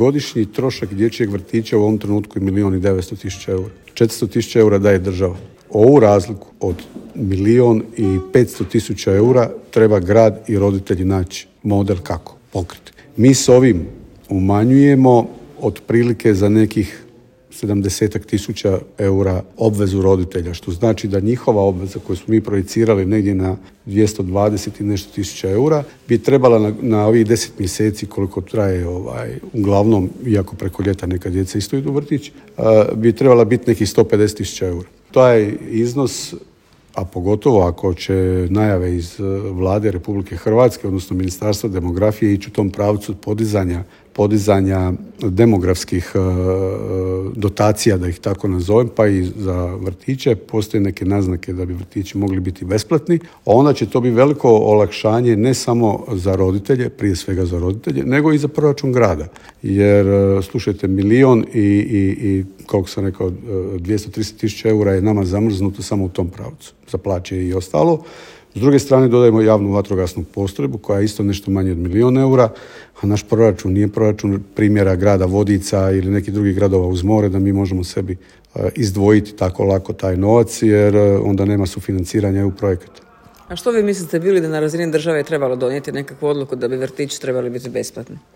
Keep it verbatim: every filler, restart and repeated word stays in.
godišnji trošak dječjeg vrtića u ovom trenutku je milijun i devetsto tisuća eura. četiristo tisuća eura daje država. Ovu razliku od milijun i petsto tisuća eura treba grad i roditelji naći model kako pokriti. Mi s ovim umanjujemo otprilike za nekih sedamdeset tisuća eura obvezu roditelja, što znači da njihova obveza koju smo mi projicirali negdje na dvjesto dvadeset i nešto tisuća eura bi trebala na, na ovih deset mjeseci koliko traje ovaj, uglavnom, iako preko ljeta neka djeca isto idu u vrtić, bi trebala biti nekih sto pedeset tisuća eura. Taj iznos, a pogotovo ako će najave iz Vlade Republike Hrvatske, odnosno Ministarstva demografije, ići u tom pravcu podizanja, podizanja demografskih e, dotacija, da ih tako nazovem, pa i za vrtiće, postoje neke naznake da bi vrtići mogli biti besplatni, a onda će to biti veliko olakšanje ne samo za roditelje, prije svega za roditelje, nego i za proračun grada. Jer, slušajte, milion i, i, i koliko sam rekao, dvjesto trideset tisuća eura je nama zamrznuto samo u tom pravcu, za plaće i ostalo. S druge strane dodajemo javnu vatrogasnu postrojbu koja je isto nešto manje od milijun eura, a naš proračun nije proračun primjera grada Vodica ili nekih drugih gradova uz more da mi možemo sebi izdvojiti tako lako taj novac, jer onda nema sufinanciranja E U projekata. A što vi mislite, bili da na razini države je trebalo donijeti nekakvu odluku da bi vrtići trebali biti besplatni?